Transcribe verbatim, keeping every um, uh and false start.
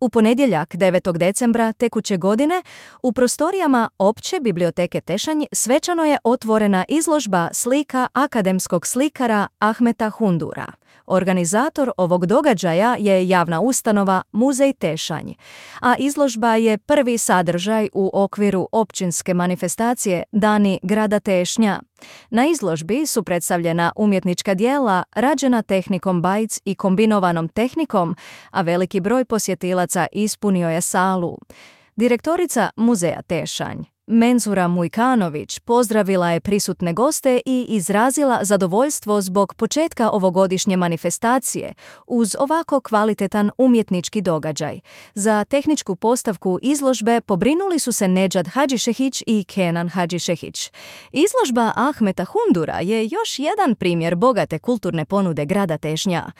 U ponedjeljak devetog decembra tekuće godine u prostorijama Opće biblioteke Tešanj svečano je otvorena izložba slika akademskog slikara Ahmeta Hundura. Organizator ovog događaja je javna ustanova Muzej Tešanj, a izložba je prvi sadržaj u okviru općinske manifestacije Dani grada Tešnja. Na izložbi su predstavljena umjetnička djela rađena tehnikom bajc i kombinovanom tehnikom, a veliki broj posjetilaca ispunio je salu. Direktorica Muzeja Tešanj, Menzura Mujkanović, pozdravila je prisutne goste i izrazila zadovoljstvo zbog početka ovogodišnje manifestacije uz ovako kvalitetan umjetnički događaj. Za tehničku postavku izložbe pobrinuli su se Nedžad Hadžišehić i Kenan Hadžišehić. Izložba Ahmeta Hundura je još jedan primjer bogate kulturne ponude grada Tešnja.